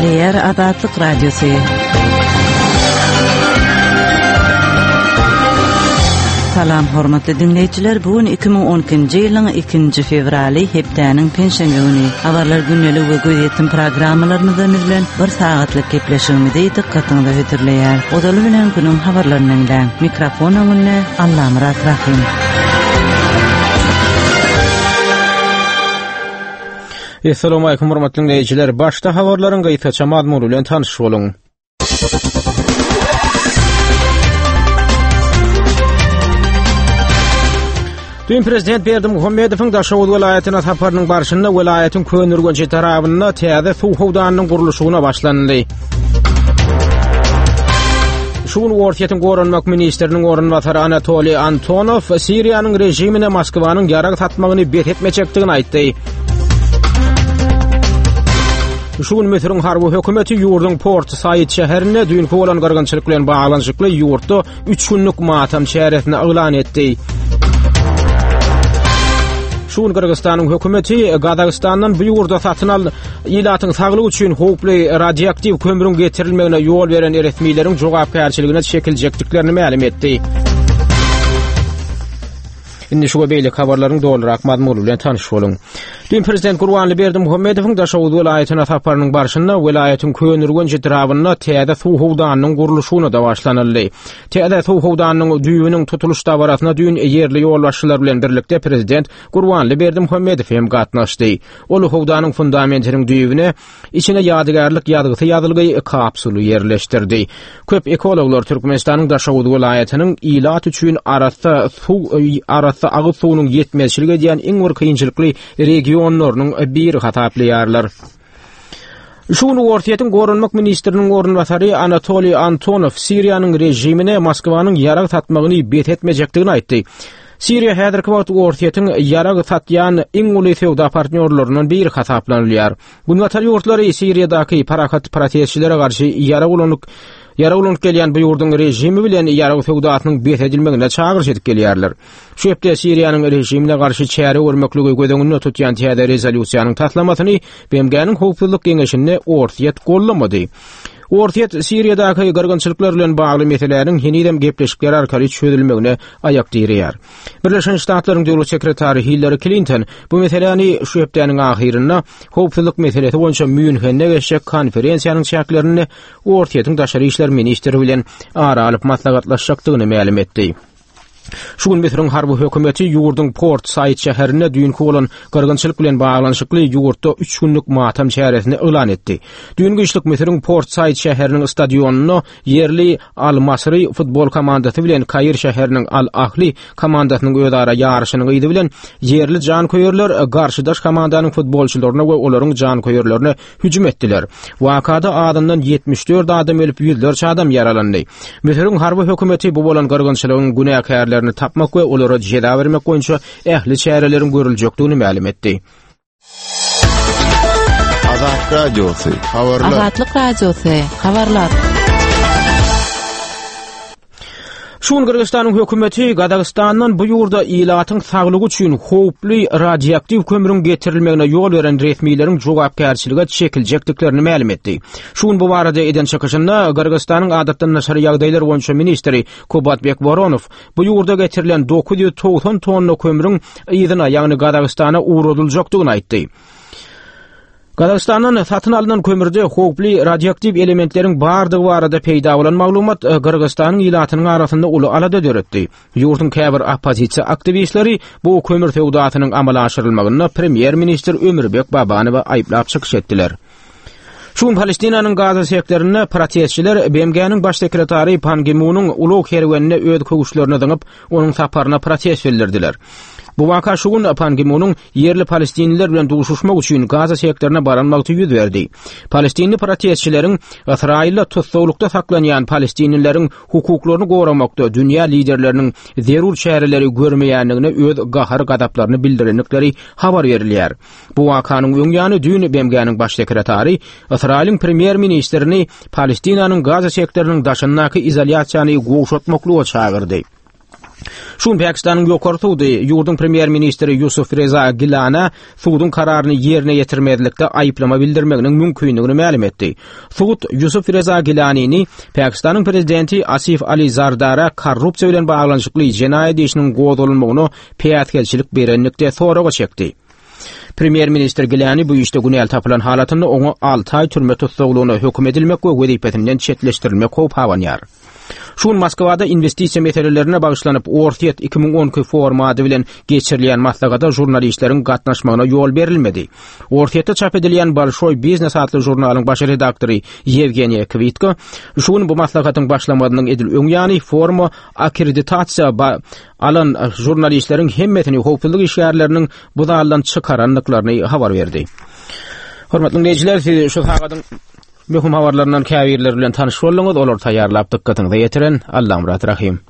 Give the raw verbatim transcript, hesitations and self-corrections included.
Gepleýär Azatlyk Radiosy. Salam hormatly dinleýjiler. Bu gün iki müň on ikinji ýylyň ikinji fewraly hepdäniň penşenbe güni. Habarlar gündelik we gözýetim programmalarymyzdan bilen bir sagatlyk gepleşigimizi dykgatyňyza hödürleýär. Ozaly bilen günüň habarlaryny diňläň. Mikrofon öňünde Allamyrat Rahim. Essalamu alaykum hormatly dinleýjiler. Başda habarlaryň gysgaça mazmuny bilen tanyş boluň. Dün Prezident Berdimuhamedowyň Daşoguz welaýatyna saparynyň barşynda welaýatyň Köneürgenç etrabynda täze suw howdanynyň gurluşygyna başlanyldy. Şu gün Orsýetiň goranmak ministriniň orunbasary Anatoliy Antonow Siriýanyň režimine Moskwanyň ýarag satmagyny bes etmejekdigini aýtdy. Şu gün Müsüriň harby hökümeti ýurduň Port Said şäherinde düýnki bolan gyrgynçylyk bilen baglanyşykly ýurtda üç günlük matam çäresini yglan etdi. Şu gün Gyrgyzystanyň hökümeti Gazagystandan bu ýurda satyn al ilatyň saglygy üçin howply radioaktiw kömrüň getirilmegine ýol beren resmileriň jogapkärçiligine çekiljekdiklerini mälim etdi. Indi şu we beýleki habarlaryň dolurak mazmuny bilen tanyş boluň. Dün Prezident Gurbanguly Berdimuhamedowyň Daşoguz welaýatyna saparynyň barşynda welaýatyň Köneürgenç etrabynda täze suw howdanynyň gurluşygyna da başlanyldy. Täze suw howdanynyň düýbüniň tutulyş dabarasyna dün ýerli ýolbaşçylar bilen birlikde Prezident Gurbanguly Berdimuhamedow hem gatnaşdy. Ol howdanyň fundamentiniň düýbüne içine ýadygärlik ýazgysy ýazylgy kapsuly ýerleşdirdi. Köp ekologlar Türkmenistanyň Daşoguz welaýatynyň ilat üçin arassa suw, arassa agyz suwunyň ýetmezçilik edýän iň bir kynçylykly regionlarynyň biri hasaplaýarlar. Şu gün Orsýetiň goranmak ministriniň orunbasary Anatoliy Antonow Siriýanyň režimine Moskwanyň ýarag satmagyny bes etmejekdigini aýtdy. Siriýa häzirki wagt Orsýetiň ýarag satýan iň uly söwda partnýorlaryndan biri hasaplanylýar. Günbatar ýurtlary Siriýadaky parahat protestçilere garşy ýarag ulanyp, ýarag ulanyp gelýän bu ýurduň režimi bilen ýarag söwdasynyň bes edilmegine çagyryş edip gelýärler. Şu hepde Siriýanyň režimine garşy çäre görmekligi göz öňünde tutýan täze rezolýusiýanyň taslamasyny B M G-niň Howpsuzlyk Geňeşinde Orsýet gollamady. Orsýet Siriýadaky gyrgynçylyklar bilen bagly meseläniň henizem gepleşikler arkaly çözülmegine aýak direýär. Birleşen Ştatlaryň döwlet sekretary Hillary Clinton bu meseläni şu hepdäniň ahyrynda howpsuzlyk meselesi boýunça Mýunhende geçjek konferensiýanyň çäklerinde Orsýetiň daşary işler ministri bilen ara alyp maslahatlaşjakdygyny mälim etdi. Şu gün Müsüriň harby hökümeti ýurduň Port Said şäherinde düýnki bolan gyrgynçylyk bilen baglanyşykly ýurtda üç günlük matam çäresini yglan etdi. Düýn giçlik Müsüriň Port Said şäheriniň stadionynda ýerli Al-Masri futbol komandasy bilen Kair şäheriniň Al-Ahli komandasynyň özara ýaryşynyň yzy bilen ýerli janköýerler garşydaş komandanyň futbolçylaryna we olaryň janköýerlerine hüjüm etdiler. Wakada azyndan ýetmiş dört adam ölüp, ýüzlerçe adam ýaralandy. Müsüriň harby hökümeti bu bolan gyrgynçylygyň günäkärlerini tapmak we olara jeza bermek boýunça ähli çäreleriň görüljekdigini mälim etdi. Azat Radiosy, habarlar. Azatlyk Radiosy, habarlar. Şu gün Gyrgyzystanyň hökümeti Gazagystandan bu ýurda ilatyň saglygy üçin howply radioaktiw kömrüň getirilmegine ýol beren resmileriň jogapkärçilige çekiljekdiklerini mälim etdi. Şu gün bu barada eden çykyşynda Gyrgyzystanyň adatdan daşary ýagdaýlar boýunça ministri Kubatbek Woronow bu ýurda getirilen dokuz ýüz togsan tonna kömrüň yzyna, ýagny Gazagystana ugradyljakdygyny aýtdy. Gazagystandan satyn alynan kömürde howply radioaktiw elementleriň bardygy barada peýda bolan maglumat, e, Gyrgyzystanyň ilatynyň arasynda uly alada döretdi. Ýurduň käbir oppozisiýa aktiwistleri bu kömür söwdasynyň amala aşyrylmagynda premýer-ministr Ömürbek Babanowa aýyplap çykyş etdiler. Şu gün Palestinanyň Gaza sektorynda protestçiler B M G-niň baş sekretary Pan Gi-munyň ulag kerwenine öz köwüşlerini zyňyp, onuň saparyna protest bildirdiler. Bu waka şu gün Pan Gi-munyň ýerli palestinliler bilen duşuşmak üçin Gaza sektoruna baran wagty ýüz berdi. Palestinli protestçileriň Ysraýylda tussaglykda saklanýan palestinlileriň hukuklaryny goramakda dünýä liderleriniň zerur çäreleri görmeýändigine öz gahar-gazaplaryny bildirendikleri habar berilýär. Bu wakanyň öň ýany düýn B M G-niň baş sekretary Ysraýylyň premýer-ministrini Palestinanyň Gaza sektorynyň daşyndaky izolýasiýany gowşatmaklyga çagyrdy. Şu gün Pakistanyň ýokary sudy ýurduň premýer-ministri Ýusuf Reza Gilana suduň kararyny ýerine ýetirmezlikde aýyplama bildirmeginiň mümkinligini mälim etdi. Sud Ýusuf Reza Gilanini Pakistanyň prezidenti Asif Ali Zardara korrupsiýa bilen baglanyşykly jenaýat işiniň gozgalmagyna päsgelçilik berenlikde soraga çekdi. Premýer-ministr Gilani bu işde günäli tapylan halatynda oňa alty aý türme tussaglygyna höküm edilmek we wezipesinden çetleşdirilmek howpy abanýar. Şu gün Moskwada investisiýa meselelerine bagyşlanyp Orsýet iki müň on iki forum ady bilen geçirilýän maslahata žurnalistleriň gatnaşmagyna ýol berilmedi. Orsýetde çap edilýän Bolşoý biznes atly žurnalyň baş redaktory Ýewgeniýa Kwitko şu gün bu maslahatyň başlamazynyň edil öň ýany foruma akkreditasiýa alan žurnalistleriň hemmesini howpsuzlyk işgärleriniň bu zaldan çykarandyklaryny habar berdi. Hormatly dinleýjiler, siz şu sagadyň möhüm habarlaryndan käbirleri bilen tanyş bolduňyz. Olar taýýarlap dykgatyňyza ýetiren Allamyrat Rahim.